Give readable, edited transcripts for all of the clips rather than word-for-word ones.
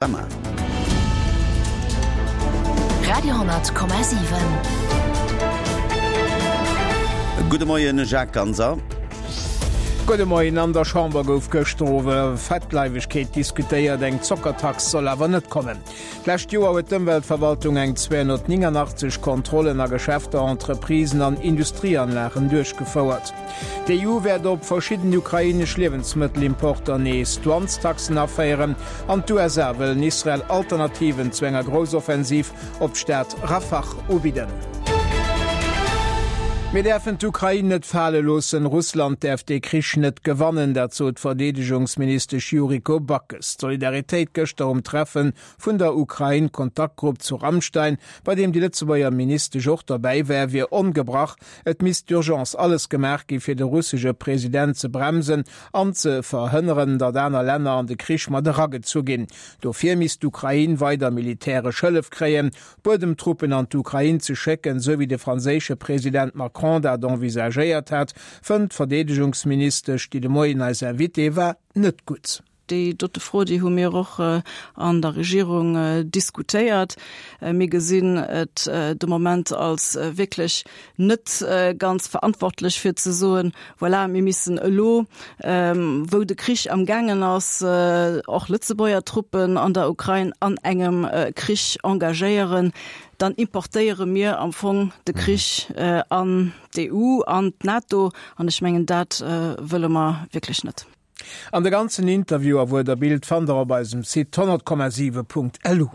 Summer. Radio,7. Gudde Moien Jacques Ganser. Gudde Moien. An der Chamber gouf gëschter iwwer Fettleiwegkeet diskutéiert. Eng Zockertax soll awer net kommen. D'lescht Joer huet d'Ëmweltverwaltung eng 289 Kontrollen a Geschäfter, Entreprisen an Industrieanlagen duerchgefouert. D'EU wäert op verschidden ukrainesch Liewensmëttelimporter nees Douanestaxen aféieren an d'USA wëllen Israel Alternativen zu enger Groussoffensiv op d'Stad Rafah ubidden. Mir däerfen d'Ukrain net fale loossen, Russland däerf dee Krich net gewannen, dat sot d'Verdeedegungsministesch Yuriko Backes. D'Solidaritéit gëschter um Treffen vun der Ukrain-Kontaktgrupp zu Ramstein, bei deem déi Lëtzebuerger Ministesch och derbäi war, wier ongebrach. Et misst d'urgence alles gemaach gi fir de russesche President ze bremsen an ze verhënneren, datt aner Länner an de Krich mat eragezu ginn. Dofir misst d'Ukrain weider militäresch Hëllef kréien. Buedemtruppen an d'Ukrain ze schécken, esou wéi de franséische President Macron dat envisagéiert hat, fënnt d'Verdeedegungsministesch, déi de Moien eis Invitée war, net gutt. Déi dote Fro, déi hu mir och an der Regierung diskutéiert. Mir gesinn et de Moment als wierklech net ganz verantwortlech fir ze soen, voilà, mir missen elo, wou de Krich amgaangen ass, och Lëtzebuerger Truppen an der Ukrain an engem Krich engagéieren. Dann importéiere mir am Fong de Krich an d'EU, an d'NATO, an ech mengen, dat wëlle mer wierklech net. An de ganzen Interview a Wuert a Bild fannt der op eisem Site 100,7.lu.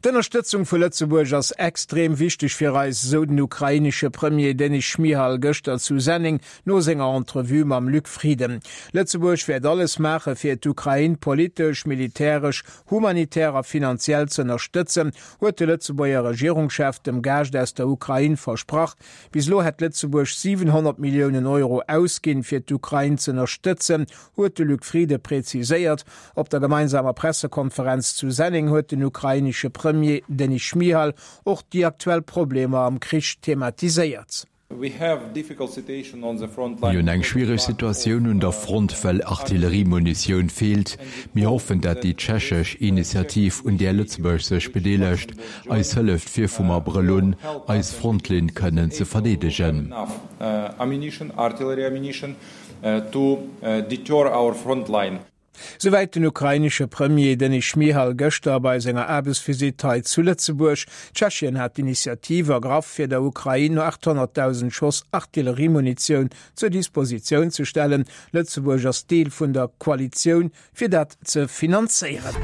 D'Ënnerstëtzung vu Lëtzebuerg ass extrem wichteg fir eis, esou den ukrainesche Premier Denys Schmyhal gëschter zu Senneng no senger Entrevue mam Luc Frieden. Lëtzebuerg wäert alles maache fir d'Ukrain politesch, militäresch, humanitär a finanziell z'ënnerstëtzen, huet de Lëtzebuerger Regierungschef dem Gaascht aus der Ukrain versprach. Bis elo hätt Lëtzebuerg 700 Milliounen Euro ausginn, fir d'Ukrain z'ënnerstëtzen, huet de Luc Frieden präziséiert. Op der gemeinsamer Pressekonferenz zu Senneng huet den ukrainesche Premier Denys Schmyhal och déi aktuell Problemer am Krich thematiséiert. Mir hunn eng schwiereg Situatioun un der Front, well Artilleriemunitioun feelt. Mir hoffen, dat déi tschechesch Initiativ, un där Lëtzebuerg sech bedeelegt, eis hëlleft fir vum Abrëll un eis Frontlinn kënnen ze verdeedegen. Souwäit den ukrainesche Premier Denys Schmyhal gëschter bei senger Aarbechtsvisitt hei zu Lëtzebuerg. Tschechien hat d'Initiativ ergraff, fir der Ukrain 800.000 Schoss Artilleriemunitioun zur Dispositioun ze stellen. Lëtzebuerg ass Deel vun der Koalitioun fir dat ze finanzéieren.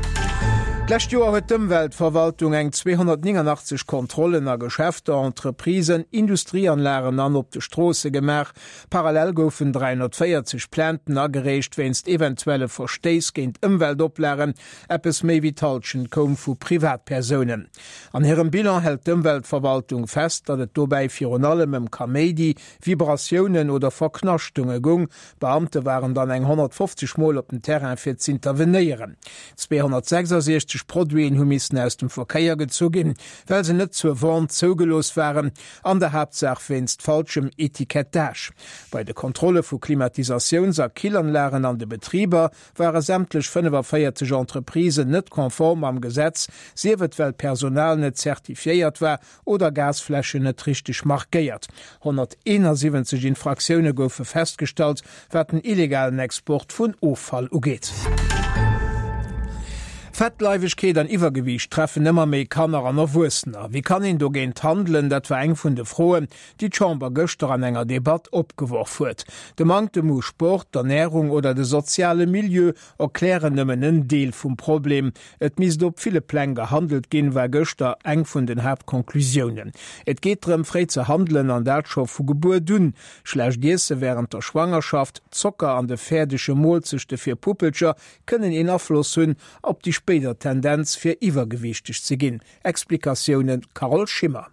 D'lescht Joer huet d'Ëmweltverwaltung eng 289 Kontrollen a Geschäfter, Entreprisen, Industrieanlagen an op de Stroosse gemaach. Parallel goufen 340 Plainten agereecht wéinst eventuelle Verstéiss géint Ëmweltoplagen. Eppes méi wéi d'Hallschent koum vu Privatpersounen. An hirem Bilan hält d'Ëmweltverwaltung fest, datt et dobäi virun allem ëm Kaméidi, Vibratiounen oder Verknaschtunge goung. D'Beamte waren dann eng 150 Mol op den Terrain fir z'intervenéieren. 266 Produiten hu missen aus dem Verkéier gezu ginn, well se net zur Vente zougelooss waren, an der Haaptsaach wéinst falschem Etikettage. Bei de Kontrolle vu Klimatisatiouns a Killanlagen an de Betriber ware sämtlech 45 Entreprisen net konform mam Gesetz, sief et well d'Personal net zertifiéiert war oder Gasfläschen net richteg markéiert. 171 Infraktioune goufe festgestallt, wat den illegalen Export vun Offall ugeet. Fettleiwegkeet an Iwwergewiicht treffen ëmmer méi Kanner an Erwuessener. Wéi kann een dogéint handelen? Dat war eng vun de Froen, déi d'Chamber gëschter an enger Debatt opgeworf huet. De Manktem u Sport, d'Ernärung oder de soziale Milieu erklären nëmmen en Deel vum Problem. Et misst op ville Pläng gehandelt ginn, war gëschter eng vun den Haaptconclusiounen. Et geet drëm, fréi ze handelen an dat scho vu Gebuert un. Schlecht Iesse wärend der Schwangerschaft, Zocker an de fäerdege Moolzechte fir Puppelcher kënnen een Afloss hunn op déi spéider Tendenz fir iwwergewiichteg ze ginn. Explikatioune Carole Schimmer.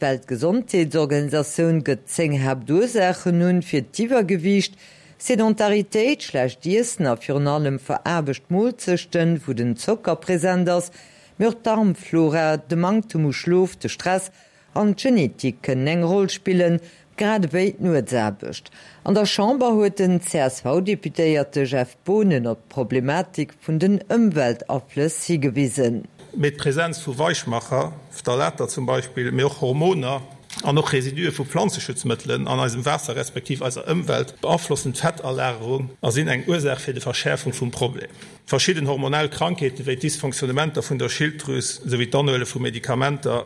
D'Weltgesondheetsorganisatioun gëtt 10 Haaptursaachen un fir d'Iwwergewiicht, Sedentaritéit, schlecht Iessen a virun allem veraarbecht Moolzechten, wou den Zocker present ass, mee och d'Darmflora, de Manktem u Schlof, de Stress an d'Genetik kënnen eng Roll spillen. Grad ewéi d'Nuetsaarbecht. An der Chamber huet den CSV-Deputéierte Jeff Boonen op d'Problematik vun den Ëmweltaflëss higewisen. Mee d'Präsenz vu Weichmacher, Phthalater zum Beispill, mee och Hormoner an och Residue vu Planzeschutzmëttelen an eisem Waasser respektiv eiser Ëmwelt beaflossen d'Fettalagerung a sinn eng Ursaach fir de Verschäerfung vum Problem. Verschidden hormonell Krankheete wéi d'Dysfonctionnementer vun der Schilddrüs souwéi d'Anhuele vu Medikamenter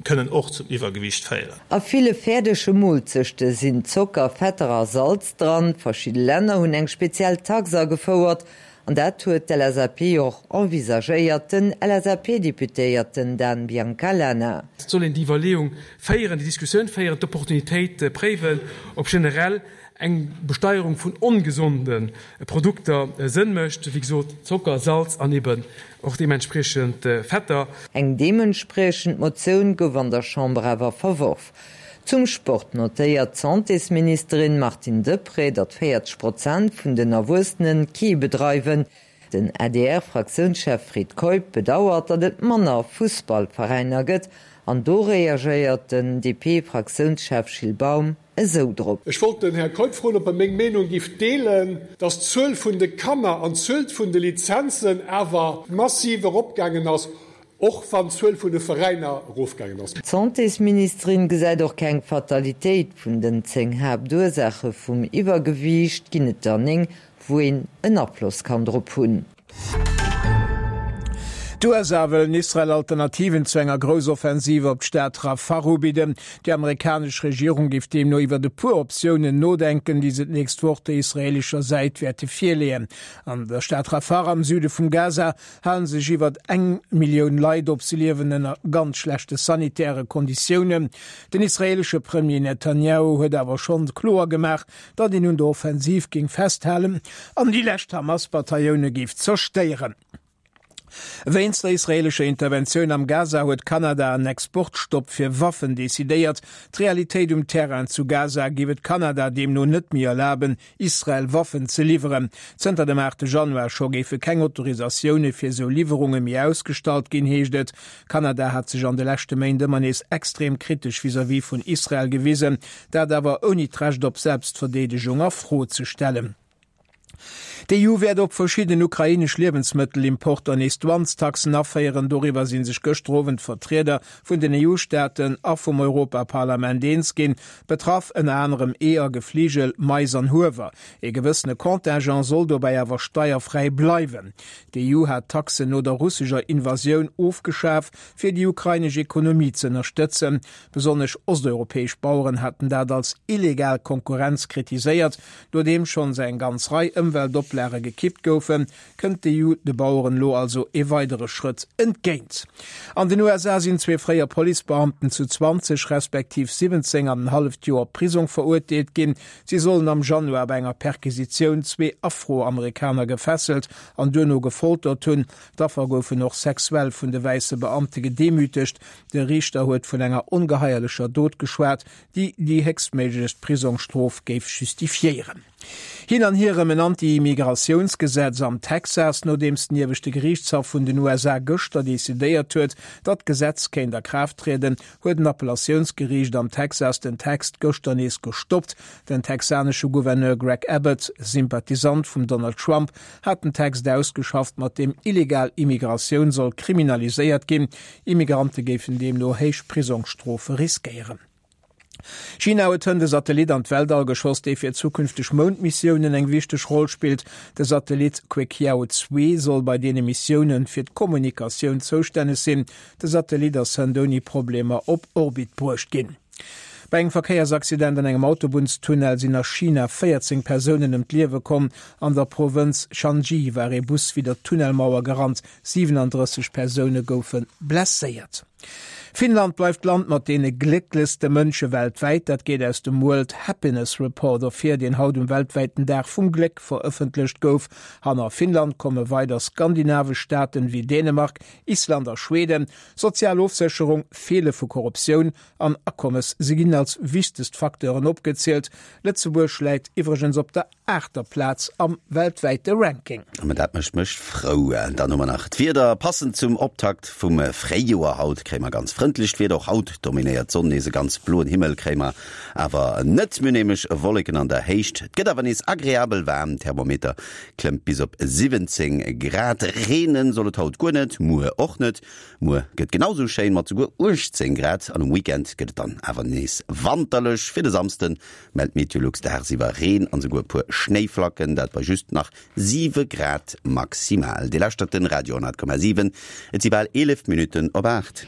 kënnen och zum Iwwergewiicht féieren. A ville fäerdege Moolzechte sinn Zocker, Fetter a Salz dran. Verschidde Länner hunn eng speziell Tax agefouert an dat huet d'LSAP och envisagéiert, den LSAP-Deputéierten Dan Biancalana. Et soll een déi Iwwerleeung féieren, déi Diskussioun féieren, d'Opportunitéit préiwen, ob generell eng Besteierung vun ongesonde Produkter Sënn mécht, wéi gesot Zocker, Salz an eben och deementspriechend Fetter. Eng deementspriechend Motioun gouf an der Chamber awer verworf. Zum Sport notéiert d'Santésministerin Martine Deprez, datt 40 Prozent vun den Erwuessene kee bedreiwen. Den ADR-Fraktiounschef Fred Keup bedauert, datt et manner Fussballveräiner gëtt an do reagéiert den DP-Fraktiounschef Gilles Baum esou drop. Ech wollt den Här Keup froen, ob e meng Meenung giff deelen, dass d'Zuel vun de Kanner an d'Zuel vun de Lizenzen awer massiv eropgaangen ass, och wann d'Zuel vun de Veräiner erofgaangen ass. D'Santésministerin gesäit och keng Fatalitéit. Vun den 10 Haaptursaache vum Iwwergewiicht ginn et der 9, wou een en Afloss kann drop hunn. D'USA wëllen Israel Alternativen zu enger Groussoffensiv op d'Stad Rafah ubidden. Déi amerikanesch Regierung géif deemno iwwert e puer Optiounen nodenken, déi se d'nächst Woch der israeelescher Säit wäerte virleeën. An der Stad Rafah am Süde vum Gaza hale sech iwwert eng Millioun Leit op. Se liewen ënner ganz schlechte sanitäre Konditiounen. Den israeelesche Premier Netanjahu huet awer schonn kloer gemaach, datt een un der Offensiv géing festhalen an déi lescht Hamas-Bataillone géif zerstéieren. Wéinst der israeelescher Interventioun am Gaza huet Kanada en Exportstopp fir Waffen decidéiert. D'Realitéit um Terrain zu Gaza géif et Kanada deemno net méi erlaben, Israel Waffen ze liwweren. Zënter dem 8 Januar scho géife keng Autorisatioune fir esou Liwwerunge méi ausgestallt ginn, heescht et. Kanada hat sech an de leschte Méint ëmmer nees extrem kritesch vis-à-vis vun Israel gewisen, dat awer ouni d'Recht op Selbstverdeedegung a Fro ze stellen. D'EU wäert op verschidden ukrainesch Liewensmëttelimporter nees Douanestaxen aféieren. Doriwwer si sech gëschter Owend d'Vertrieder vun den EU-Staaten a vum Europaparlament eens ginn. Betraff ënner anerem Eeër, Gefligel, Mais an Huewer. Ee gewëssene Contingent soll dobäi awer steierfräi bleiwen. D'EU hat d'Taxen no der russescher Invasioun ofgeschaf, fir déi ukrainesch Ekonomie ze ënnerstëtzen. Besonnesch osteuropäesch Baueren haten dat als illegal Konkurrenz kritiséiert. Nodeem schonns eng ganz Rei Ëmweltoplage gekippt goufen, kënnt d'EU de Baueren elo also ee weidere Schrëtt entgéint. An den USA sinn zwee fréier Policebeamten zu 20 respektiv 17 an en halleft Joer Prisong verurteelt ginn. Si sollen am Januar bei enger Perquisitioun zwee Afroamerikaner gefesselt an duerno gefoltert hunn. D'Affer goufen och sexuell vun de wäisse Beamte gedemütegt. De Riichter huet vun enger ongeheierlecher Dot geschwat, déi déi héchstméiglechst Prisongstrof géif justifiéieren. Hin an hier ëm en Anti-Immigratiounsgesetz am Texas, nodeems den ieweschte Geriichtshaff vun den USA gëschter decidéiert huet, datt d'Gesetz kéint a Kraaft trieden, huet en Appellatiounsgeriicht am Texas den Text gëschter nees gestoppt. Den texanesche Gouverneur Greg Abbott, Sympathisant vum Donald Trump, hat den Text ausgeschafft, mat deem illegal Immigratioun soll kriminaliséiert ginn. Immigrante géifen deemno héich Prisongsstrofe riskéieren. China huet hënt e Satellit an d'Weltall geschoss, dee fir zukünfteg Moundmissiounen eng wichteg Roll spillt. De Satellit Queqiao 2 soll bei deene Missioune fir d'Kommunikatioun zoustänneg sinn. De Satellit ass hënt ouni Problemer op Orbit bruecht ginn. Bei engem Verkéiersaccident an engem Autobunnstunnel sinn a China 14 Persounen ëm d'Liewe komm. An der Provënz Shanxi war ee Bus widder d'Tunnelmauer gerannt. 37 Persoune goufe blesséiert. Finnland bleift d'Land mat deene glécklechste Mënsche weltwäit. Dat geet aus dem World Happiness Report ervir, deen haut um weltwäiten Dag vum Gléck verëffentlecht gouf. Hanner Finnland komme weider skandinavesch Staaten wéi Dänemark, Island a Schweden. Sozial Ofsécherung, Feele vu Korruptioun an Akommes, se ginn als wichtegst Facteuren opgezielt. Lëtzebuerg läit iwwregens op der. aachter Plaz am weltwäite Ranking. Mä dat mécht mech frou. Dann hu mer nach d'Wieder. Passend zum Optakt vum Fréijoer haut kréie mer ganz frëndlecht Wieder. Och haut dominéiert d'Sonn nees. E ganz bloen Himmel kréie mer awer net. Mir hunn nämlech Wolleken an der Héicht. Et gëtt awer nees agreabel waarm, Thermometer klëmmt bis op 17 Grad. Reene soll et haut guer net, muer och net. Muer gëtt genau sou schéin mat souguer 18 Grad an um Weekend gëtt et dann awer nees wanterlech. Fir de Samsde mellt Meteolux dagsiwwer Reen an souguer e puer Schnéiflacken, dat bei just nach 7 Grad maximal. Dir lauschtert den Radio 10,7, et si bal 11 Minutten op 8.